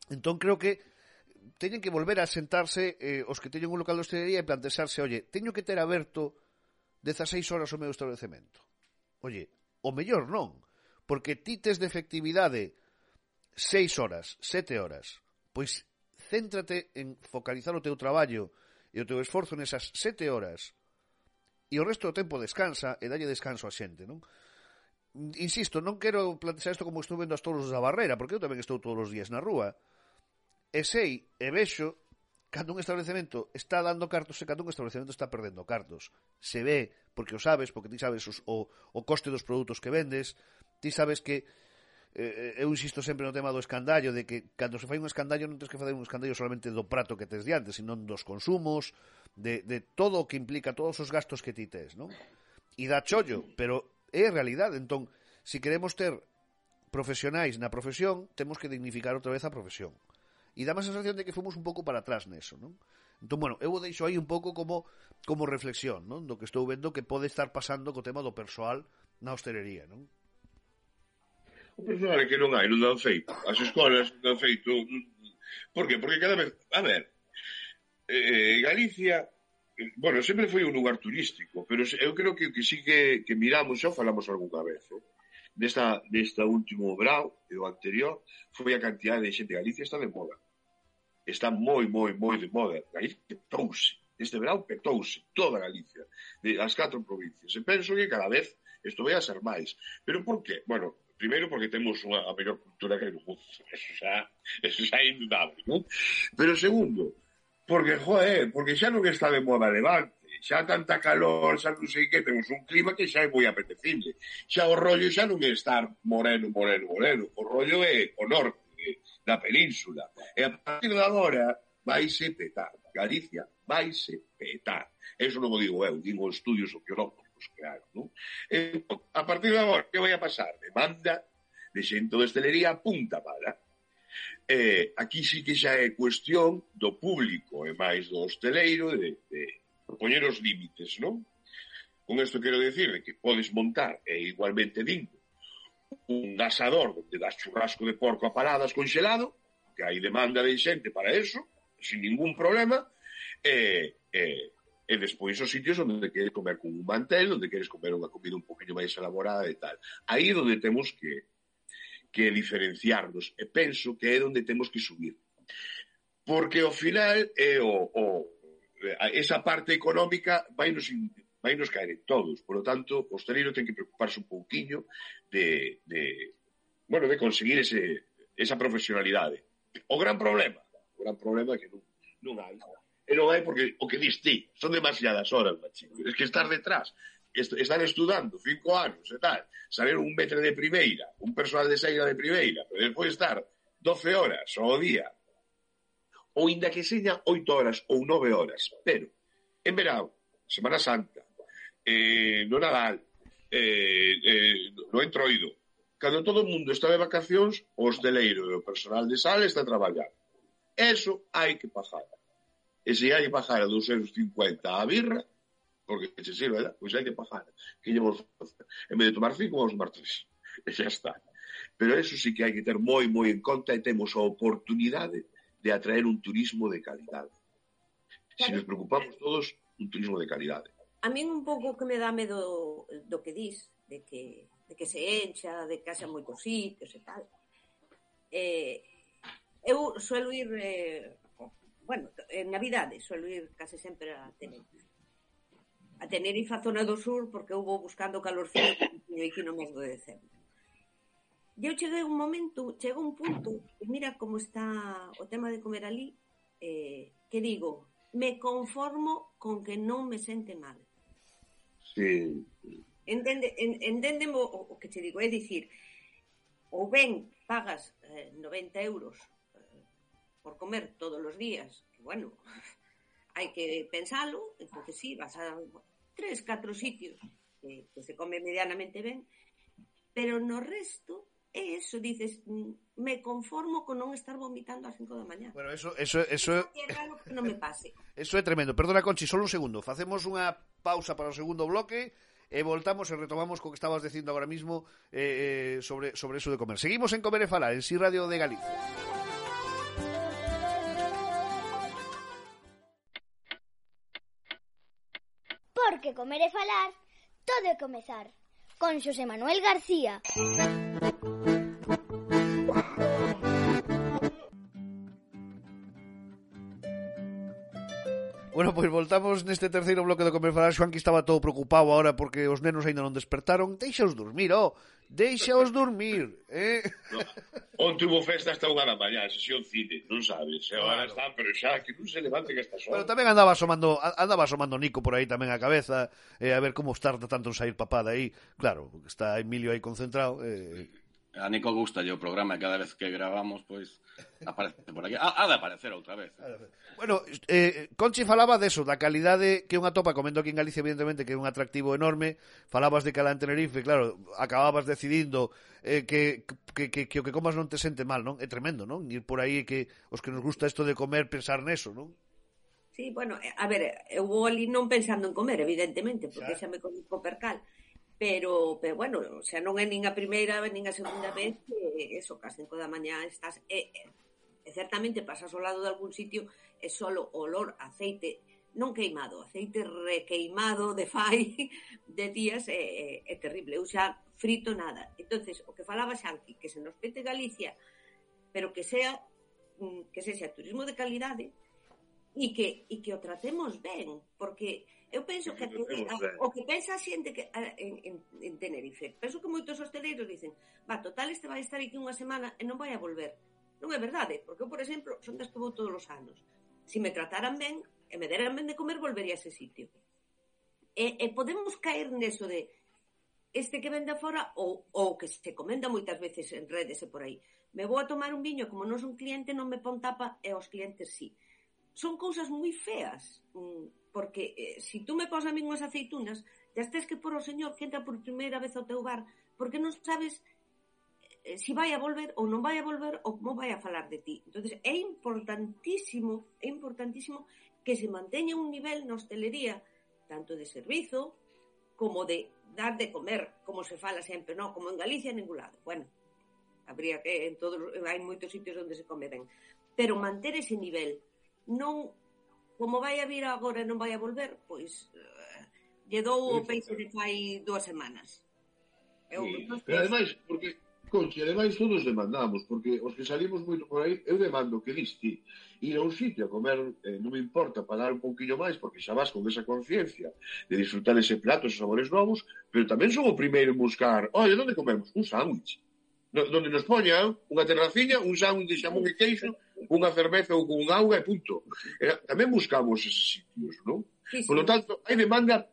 Entón creo que teñen que volver a sentarse os que teñen un local de hostelería e plantexarse, oye, teño que ter aberto 16 horas o meu establecemento. Oye, o mellor non, porque ti tes de efectividade 6 horas, 7 horas, pois céntrate en focalizar o teu traballo e o teu esforzo nesas 7 horas e o resto do tempo descansa e dalle descanso a xente, non? Insisto, non quero plantexar isto como estou vendo as toros da Barrera, porque eu tamén estou todos os días na rúa e sei e vexo cando un establecemento está dando cartos e cando un establecemento está perdendo cartos. Se ve, porque o sabes, porque ti sabes o coste dos produtos que vendes, ti sabes que eu insisto sempre no tema do escandallo, de que cando se fai un escandallo non tens que facer un escandallo solamente do prato que tes diante, sino dos consumos, de todo o que implica, todos os gastos que ti tes, non? E dá chollo, pero é a realidade. Entón, se queremos ter profesionais na profesión, temos que dignificar outra vez a profesión. E dá a sensación de que fomos un pouco para atrás neso, non? Entón, bueno, eu o deixo aí un pouco como reflexión, non? Do que estou vendo que pode estar pasando co tema do persoal na hostelería, non? O persoal é que non hai, non dan feito. As escolas non dan feito. Por que? Porque cada vez... A ver, Galicia, bueno, sempre foi un lugar turístico, pero eu creo que sí que miramos, xa falamos algunha vez, desta último verão e o anterior, foi a cantidade de xente. Galicia está de moda. Está moi, moi, moi de moda. Galicia petouse. Este verão petouse. Toda Galicia. As 4 provincias. E penso que cada vez isto vai a ser máis. Pero por qué? Bueno, primeiro porque temos a mellor cultura que hai no mundo. Eso xa é indudable, non? Pero segundo, porque xa non está de moda Levante. Xa tanta calor, xa non sei que, temos un clima que xa é moi apetecible. Xa o rollo xa non é estar moreno. O rollo é o norte da península. E a partir de agora vaise petar. Galicia vaise petar. Eso non o digo eu, digo estudios sociológicos, claro, non? A partir de agora, que vai a pasar? Demanda de xente de hostelería punta pala. Aquí sí que xa é cuestión do público e máis do hosteleiro de poñer os límites, non? Con isto quero decir que podes montar, e igualmente digno, un asador onde das churrasco de porco a paradas congelado, que hai demanda de xente para eso, sin ningún problema, e despois os sitios onde queres comer con un mantel, onde queres comer unha comida un poquinho máis elaborada e tal. Aí é onde temos que diferenciarnos, e penso que é onde temos que subir. Porque ao final esa parte económica vainos caer en todos. Por lo tanto, o hosteleiro ten que preocuparse un pouquiño de conseguir esa profesionalidade. O gran problema é que non hai. E non hai porque o que dis ti, son demasiadas horas, machico. Es que estar detrás, estar estudando 5 anos e tal, saber un metre de primeira, un personal de saída de primeira, pero despois estar 12 horas ao día, ou inda que seña 8 horas ou 9 horas, pero en verão, Semana Santa, no Nadal, no Entroido, cando todo o mundo está de vacacións, o hosteleiro e o personal de sala está a traballar. Eso hai que pagar. E se hai que pagar a 250 a birra, porque se sirve, ¿verdad? Pois hai que pagar. Que llevamos en vez de tomar 5, vamos a tomar 3. E xa está. Pero eso sí que hai que ter moi, moi en conta, e temos a oportunidade de atraer un turismo de calidade. Se nos preocupamos todos, un turismo de calidade. A min un pouco que me dá medo do que dis, de que se encha, de que haxa moitos sitios e tal. Eu suelo ir bueno, en Navidade suelo ir case sempre a Tenerife. A Tenerife, a zona do sur, porque eu vou buscando calorcillo aquí no mes de decembro. E eu chega un punto, e mira como está o tema de comer ali, que digo, me conformo con que non me sente mal. Sí. Entendeme o que te digo, é dicir, ou ben pagas 90 euros por comer todos os días, que bueno, hai que pensalo, entonces sí, vas a 3, 4 sitios que se come medianamente ben, pero no resto é eso, dices, me conformo con non estar vomitando ás 5 da mañá. Bueno, eso é raro que non me pase. Eso é tremendo. Perdona, Conchi, solo un segundo. Facemos unha pausa para o segundo bloque e voltamos e retomamos co que estabas dicindo agora mismo sobre eso de comer. Seguimos en Comer e Falar, en Si Radio de Galicia. Porque comer e falar, todo é comezar. Con Xosé Manuel García. Bueno, pois voltamos neste terceiro bloque do Comer e Falar. Xoan, que estaba todo preocupado agora porque os nenos aínda non despertaron. Deixaos dormir, deixaos dormir, No. Onte hubo festa hasta 1 da mañá, sesión cine, non sabes, agora están, pero xa que non se levanten estas horas. Pero tamén andaba asomando Nico por aí tamén a cabeza, a ver como está tanto en sair papá de aí. Claro, está Emilio aí concentrado. A Nico gusta o programa, cada vez que gravamos, pois, aparece por aquí. Ha de aparecer outra vez. Bueno, Conchi falaba deso, da calidade que unha topa, comendo aquí en Galicia, evidentemente, que é un atractivo enorme. Falabas de Calán Tenerife, claro, acababas decidindo que o que comas non te sente mal, non? É tremendo, non? Ir por aí que os que nos gusta isto de comer, pensar neso, non? Sí, bueno, a ver, eu vou ali non pensando en comer, evidentemente, porque xa me conozco percal. Pero bueno, o sea, non é nin a primeira nin a segunda vez que eso, que as 5 da mañá estás certamente pasas ao lado de algún sitio e solo olor a aceite non queimado, aceite requeimado de fai de días é terrible. Eu xa frito nada. Entonces, o que falaba Xanqui, que se nos pete Galicia, pero que sexa turismo de calidade e que o tratemos ben, porque eu penso que o que pensa a xente que en Tenerife, penso que moitos hosteleiros dicen, total, este vai estar aquí unha semana e non vai a volver. Non é verdade, porque eu, por exemplo, son das que vou todos os anos. Se me trataran ben e me deran ben de comer, volvería a ese sitio. E podemos caer neso de este que vende fora ou que se comenda moitas veces en redes e por aí. Me vou a tomar un viño, como non son cliente, non me pon tapa e aos clientes sí. Son cousas moi feas, porque se tú me pos a mí unhas aceitunas, já tes que por o señor que entra por primeira vez ao teu bar, porque non sabes se vai a volver ou non vai a volver ou como vai a falar de ti. Entonces é importantísimo que se manteña un nivel na hostelería, tanto de servizo como de dar de comer, como se fala sempre, non? Como en Galicia en ningún lado. Bueno, habría que hai moitos sitios onde se come ben, pero manter ese nivel. Non, como vai a vir agora e non vai a volver, pois lle dou o peixe de fai 2 semanas. Pero ademais, porque, Conchi, ademais todos demandamos, porque os que salimos moito por aí, eu demando que diste ir a un sitio a comer, non me importa pagar un pouquinho máis, porque xa vas con esa conciencia de disfrutar ese plato, esos sabores novos, pero tamén son o primeiro en buscar, oye, onde comemos? Un sándwich. Donde nos poñan unha terraciña, un sándwich de xamón e queixo, unha cerveza ou con un auga e punto. Tamén buscamos eses sitios, non? Sí. Por lo tanto, hai demanda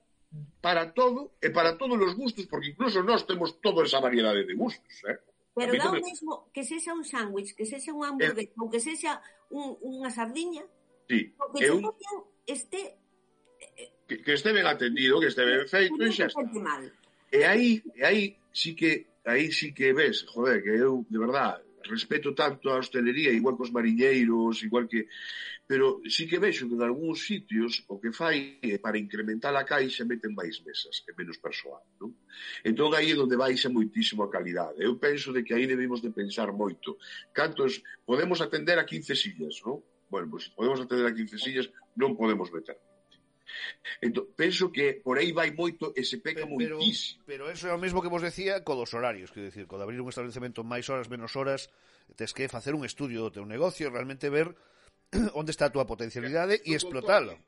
para todo e para todos os gustos, porque incluso nós temos toda esa variedade de gustos, Pero dá o mesmo que sexa un sándwich, que sexa un hamburguesa, ou que sexa unha sardiña, sí, porque este que este ben atendido, que este ben feito, e xa está. E aí sí que ves, joder, que eu, de verdad, respeto tanto a hostelería, igual que os mariñeiros, igual que... Pero sí que vexo que en algúns sitios o que fai é para incrementar a caixa meten máis mesas e menos persoal, non? Entón aí é onde baixa moitísimo a calidade. Eu penso de que aí debemos de pensar moito. Cantos podemos atender a 15 sillas, non? Bueno, pois se podemos atender a 15 sillas, non podemos meter. Entón, penso que por aí vai moito e se peca moitísimo. Pero eso é o mesmo que vos decía co dos horarios, quero dicir, co de abrir un establecemento máis horas, menos horas, tes que facer un estudio do teu negocio, realmente ver onde está a túa potencialidade e explotalo.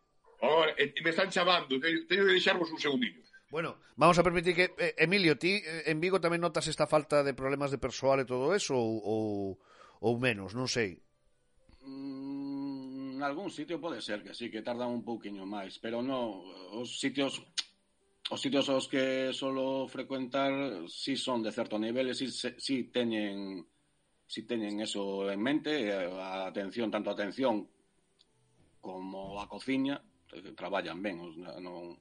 Ahora, me están chamando, teño que deixarvos un segundinho. Bueno, vamos a permitir que... Emilio, ti en Vigo tamén notas esta falta de problemas de persoal e todo eso ou menos, non sei. En algún sitio pode ser que sí, que tardan un pouquiño máis, pero no, os sitios aos que solo frecuentar si son de certo nivel e si teñen eso en mente, a atención, tanto a atención como a cociña, traballan ben, non...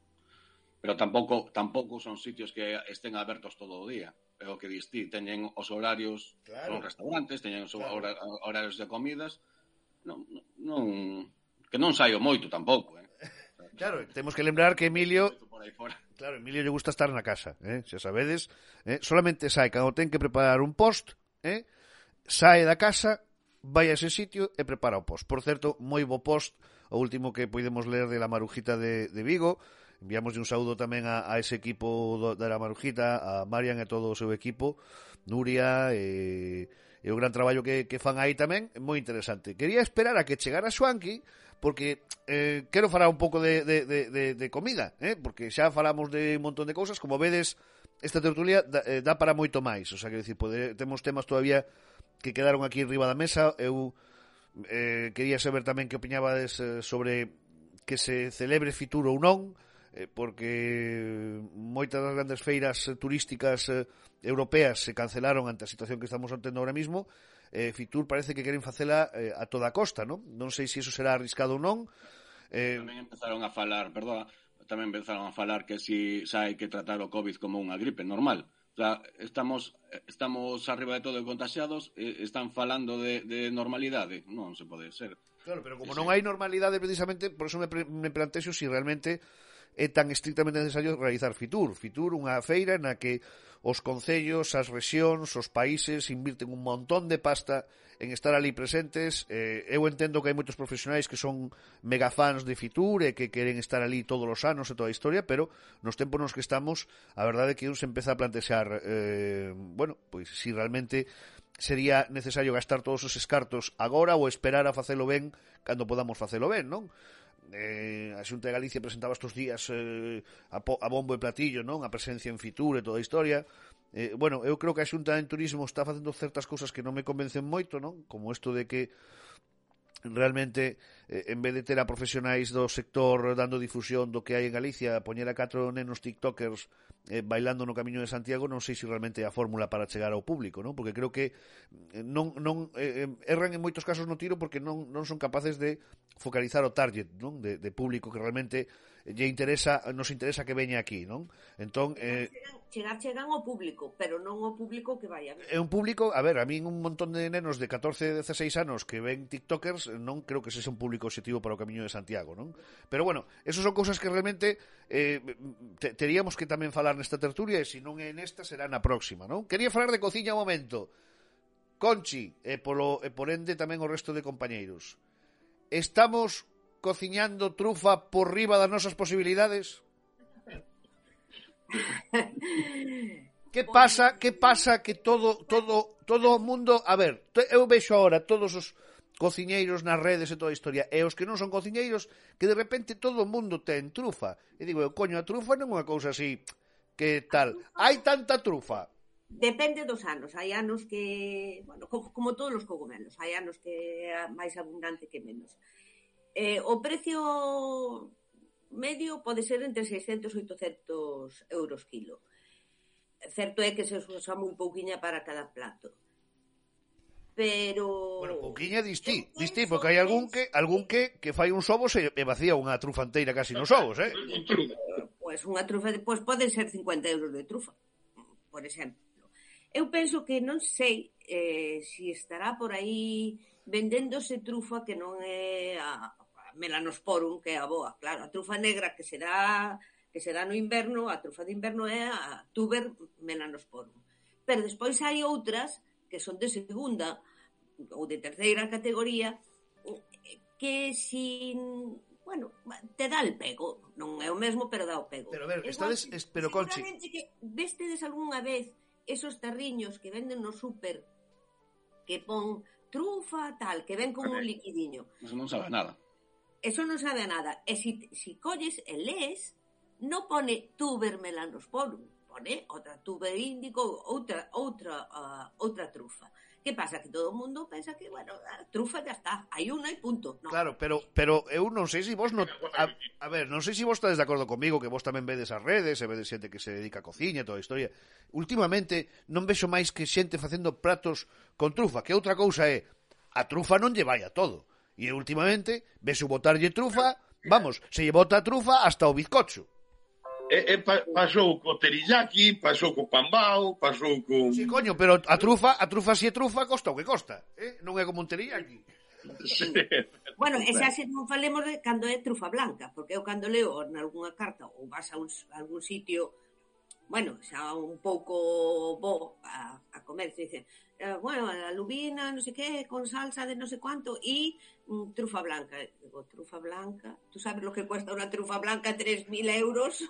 Pero tampouco son sitios que estén abertos todo o día. É o que dis ti, teñen os horarios, claro. Son restaurantes, teñen os horarios de comidas. Que non saio moito tampouco, Claro, temos que lembrar que Emilio... Claro, Emilio lle gusta estar na casa, xa sabedes, solamente sai cando ten que preparar un post, sae da casa, vai a ese sitio e prepara o post. Por certo, moi bo post, o último que podemos ler de La Marujita de Vigo. Enviamos un saúdo tamén a ese equipo da La Marujita, a Marian e todo o seu equipo, Nuria e o gran traballo que fan aí tamén, moi interesante. Quería esperar a que chegara Xuanqui, porque quero falar un pouco de comida, porque xa falamos de un montón de cousas, como vedes, esta tertulia dá para moito máis, o sea, quero dicir, temos temas todavía que quedaron aquí riba da mesa. Eu quería saber tamén que opiñabades sobre que se celebre Fitur ou non, porque moitas das grandes feiras turísticas europeas se cancelaron ante a situación que estamos tendo ahora mismo. Fitur parece que queren facela a toda costa, non? Non sei se iso será arriscado ou non. Tamén empezaron a falar, que si hai que tratar o COVID como unha gripe normal. O sea, estamos arriba de todo contaxiados, están falando de normalidade, non se pode ser. Claro, pero como non hai normalidade precisamente, por eso me plantexo si realmente é tan estrictamente necesario realizar Fitur. Fitur, unha feira na que os concellos, as rexións, os países invirten un montón de pasta en estar ali presentes. Eu entendo que hai moitos profesionais que son megafans de Fitur e que queren estar ali todos os anos e toda a historia, pero nos tempos nos que estamos, a verdade é que un se empeza a plantexar pois si realmente sería necesario gastar todos os escartos agora ou esperar a facelo ben cando podamos facelo ben, non? A Xunta de Galicia presentaba estes días a bombo e platillo, non? A presencia en Fitur e toda a historia. Eu creo que a Xunta en Turismo está facendo certas cousas que non me convencen moito, non? Como isto de que realmente en vez de ter a profesionais do sector dando difusión do que hai en Galicia, poñer a 4 nenos tiktokers bailando no Camiño de Santiago, non sei se realmente é a fórmula para chegar ao público, non? Porque creo que erran en moitos casos no tiro porque non son capaces de focalizar o target, non? De público que realmente nos interesa que veña aquí, non? Entón, chegan ao público, pero non ao público que vai a ver. É un público, a ver, a min un montón de nenos de 14, 16 anos que ven tiktokers, non creo que ese sea un público objetivo para o Camiño de Santiago, non? Pero bueno, eso son cousas que realmente teríamos que tamén falar nesta tertulia, e se non é nesta será na próxima, non? Quería falar de cociña un momento. Conchi, e por ende tamén o resto de compañeiros. Estamos cociñando trufa por riba das nosas posibilidades? Que pasa que todo o mundo, a ver, eu vexo ahora todos os cociñeiros nas redes e toda a historia, e os que non son cociñeiros, que de repente todo o mundo ten trufa. E digo, coño, a trufa non é unha cousa así que tal. Hai tanta trufa. Depende dos anos. Hai anos que, bueno, como todos os cogumelos, hai anos que é máis abundante que menos. O precio medio pode ser entre 600 e 800 euros kilo. Certo é que se usa moi pouquiña para cada plato. Pero... Bueno, pouquiña distí, porque hai algún que fai uns ovos e vacía unha trufa inteira casi nos ovos, Pois unha trufa, pois poden ser 50 euros de trufa, por exemplo. Eu penso que non sei se estará por aí vendéndose trufa que non é a Melanosporum, que é a boa. Claro, a trufa negra que se dá no inverno, a trufa de inverno é a Tuber Melanosporum. Pero despois hai outras que son de segunda ou de terceira categoría que bueno, te dá el pego. Non é o mesmo, pero dá o pego. Pero a ver, pero Conchi, vestedes algunha vez esos tarriños que venden no súper que pon trufa, tal, que ven con un liquidiño. Eso non sabe nada. Eso non sabe a nada. E si colles e lees, non pone tuber melanosporum, pone outra tuber índico, outra trufa. Que pasa? Que todo o mundo pensa que, bueno, a trufa ya está, hai unha e punto. No. Claro, pero eu non sei se vos a ver, non sei se vos estades de acordo comigo, que vos tamén vedes as redes, e vedes xente que se dedica a cociña e toda a historia. Últimamente non vexo máis que xente facendo pratos con trufa, que outra cousa é a trufa non lle vai a todo. E últimamente vexo botarlle trufa, vamos, se lle bota a trufa hasta o bizcocho. Pasou co teriyaki, pasou co pambao, pasou co... Sí, coño, pero a trufa si é trufa, costa o que costa, non é como un teriyaki. Sí. Bueno, e xa se non falemos de cando é trufa blanca, porque eu cando leo nalgúna carta ou vas a algún sitio, bueno, xa un pouco bo a comer, se dicen, bueno, a lubina, non sei que, con salsa de non sei cuánto, e trufa blanca. Digo, trufa blanca, tú sabes lo que cuesta una trufa blanca, 3.000 euros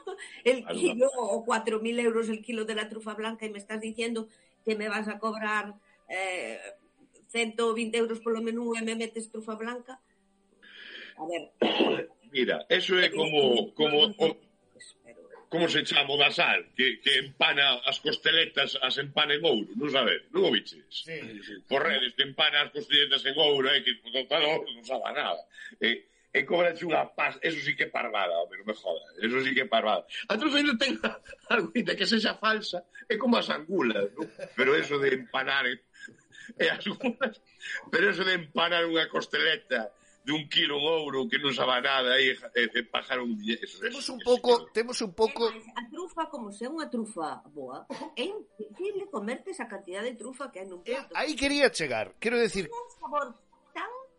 el kilo, o 4.000 euros el kilo de la trufa blanca, y me estás diciendo que me vas a cobrar 120 euros polo menú e me metes trufa blanca. A ver. Mira, eso é como se chama o da sal, que empana as costeletas, as empana en ouro, non sabes? Non o biches? Sí. Por redes, te empana as costeletas en ouro, que non sabe nada. E cobrache unha paz, eso sí que é parvada, hombre, non me jodas, eso sí que é parvada. A trufa non ten algo que sexa falsa, é como as angulas, ¿no? Pero eso de empanar pero eso de empanar unha costeleta de 1 kilo en ouro que non sabe nada e pagar un dinero. Temos un pouco A trufa, como se é unha trufa boa, é imposible comerte esa cantidad de trufa que hai nun plato. aí quería chegar, quero decir, Un sabor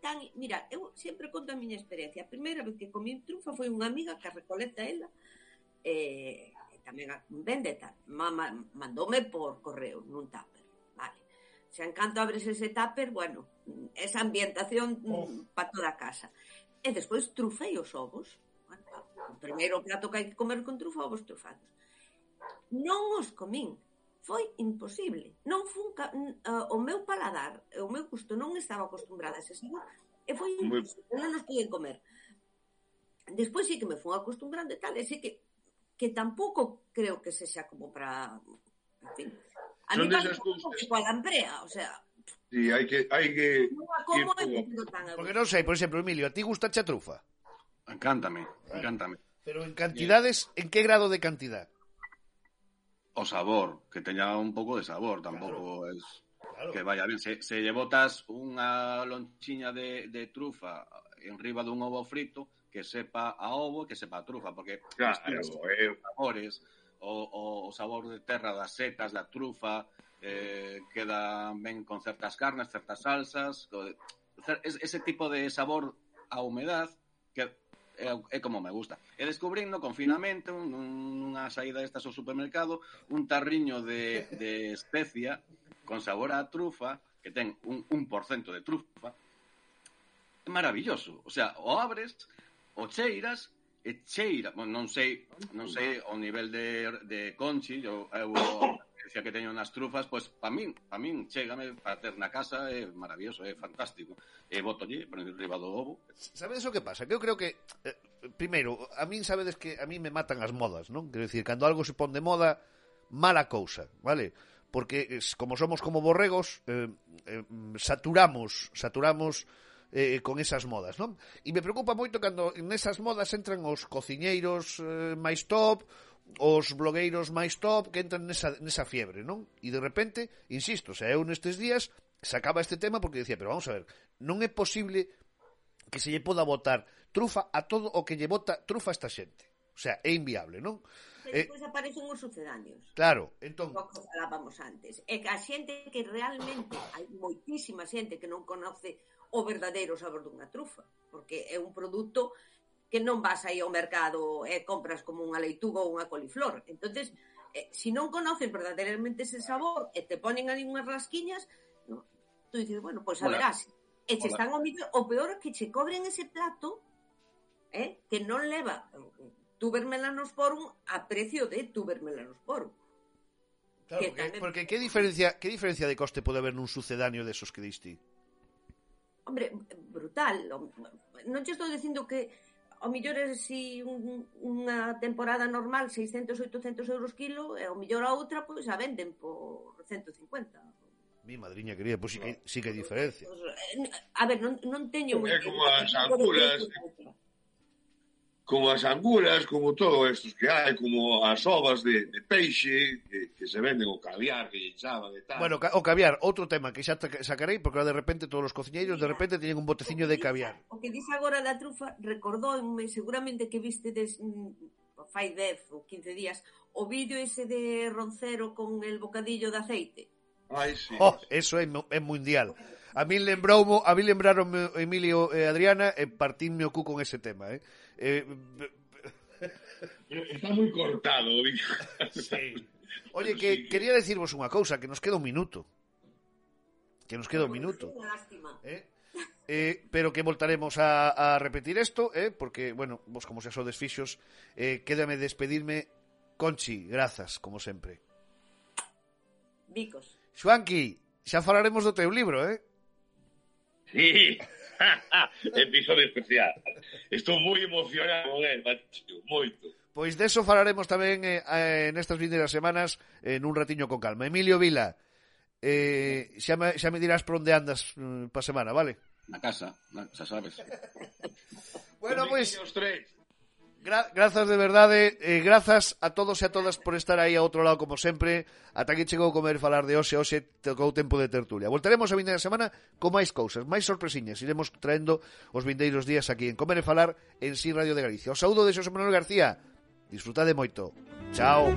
tan... Mira, eu sempre conto a miña experiencia. A primeira vez que comí trufa foi unha amiga que recolecta ela, tamén vende tal. Mandoume por correo nun tupper. Vale. Se encanto abres ese tupper, bueno, esa ambientación para toda a casa. E despois trufei os ovos. Bueno, o primeiro plato que hai que comer con trufa, ovos trufados. Non os comín. Foi imposible. Non fun o meu paladar, o meu gusto non estaba acostumbrada a ese sabor e foi imposible, non nos podían comer. Despois sí que me fun acostumbrando e tal, e sí que tampouco creo que sexa como para... En fin. A mí pasa un pouco que coa lamprea, o sea... Sí, hai que como tan... porque non sei, por exemplo, Emilio, a ti gustache a trufa? Encántame. Pero en cantidades, en que grado de cantidad? O sabor, que teña un pouco de sabor, tampouco es que vaya bien. Se lle botas unha lonchiña de trufa enriba dun ovo frito, que sepa a ovo, que sepa a trufa, porque os sabores, o sabor de terra das setas, da trufa, queda ben con certas carnes, certas salsas, ese tipo de sabor a humedad que é como me gusta. E descubrín no confinamento, nunha saída destas ao supermercado, un tarriño de especia con sabor a trufa, que ten un 1% de trufa. É maravilloso. O sea, o abres, o cheiras, e cheira. Bueno, non sei o nivel de Conchi, eu experiencia que teño nas trufas, pois para min chégame para ter na casa, é maravilloso, é fantástico. E botolle por enriba do ovo. Sabedes o que pasa? Que eu creo que primeiro, a min sabedes que a min me matan as modas, non? Quero dicir, cando algo se pon de moda, mala cousa, vale? Porque como somos como borregos, saturamos con esas modas, non? E me preocupa moito cando nesas modas entran os cociñeiros máis top, os blogueiros máis top que entran nesa fiebre, non? E de repente, insisto, eu nestes días sacaba este tema porque decía, pero vamos a ver, non é posible que se lle poda botar trufa a todo o que lle bota trufa a esta xente. O sea, é inviable, non? Despois aparecen os sucedáneos. Claro, entón... O que falábamos antes. É que a xente que realmente, hai moitísima xente que non conoce o verdadeiro sabor dunha trufa, porque é un produto que non vas aí ao mercado e compras como unha leituga ou unha coliflor. Entonces, se non conoces verdadeiramente ese sabor e te ponen ali unhas rasquiñas, no, tú dices, bueno, pois a verás. E che están o peor é que che cobren ese plato que non leva tuber melanosporum a precio de tuber melanosporum. Claro, porque que diferencia de coste pode haber nun sucedáneo desos que diste? Hombre, brutal. Non te estou dicindo que ao millor é si unha temporada normal 600, 800 euros kilo e ao millor a outra pois a venden por 150. Mi madriña querida, pois sí que hai diferencia. A ver, non teño É como as angulas, como todo estos que hai, como as ovas de peixe que se venden, o caviar que lle chaman e tal. Bueno, o caviar, outro tema que xa sacarei, porque de repente todos os cociñeiros de repente teñen un boteciño de caviar. O que dice agora da trufa recordoume, seguramente que vistedes fai 10 ou 15 días o vídeo ese de Roncero con el bocadillo de aceite. Ai, sí. Eso é mundial. A mí lembraron Emilio e Adriana e partinme o cu con ese tema, Está moi cortado, sí. Oye, que quería decirvos unha cousa, que nos queda un minuto. Pero que voltaremos a repetir isto, porque, bueno, vos como xa sodes fixos, quédame despedirme. Conchi, grazas, como sempre. Bicos. Xuanqui, xa falaremos do teu libro, Sí, episodio especial. Estou moi emocionado con él, macho, moito. Pois deso falaremos tamén nestas vindeiras semanas nun ratiño con calma. Emilio Vila, xa me dirás por onde andas pa semana, vale? Na casa, xa sabes. Bueno, pois grazas de verdade, grazas a todos e a todas por estar aí a outro lado como sempre. Ata aquí chegou Comer e Falar de hoxe tocou tempo de tertulia. Voltaremos a vindeira semana con máis cousas, máis sorpresiñas. Iremos traendo os vindeiros días aquí en Comer e Falar en Si Radio de Galicia. O saúdo de Xosé Manuel García. Disfrutade moito. Chao.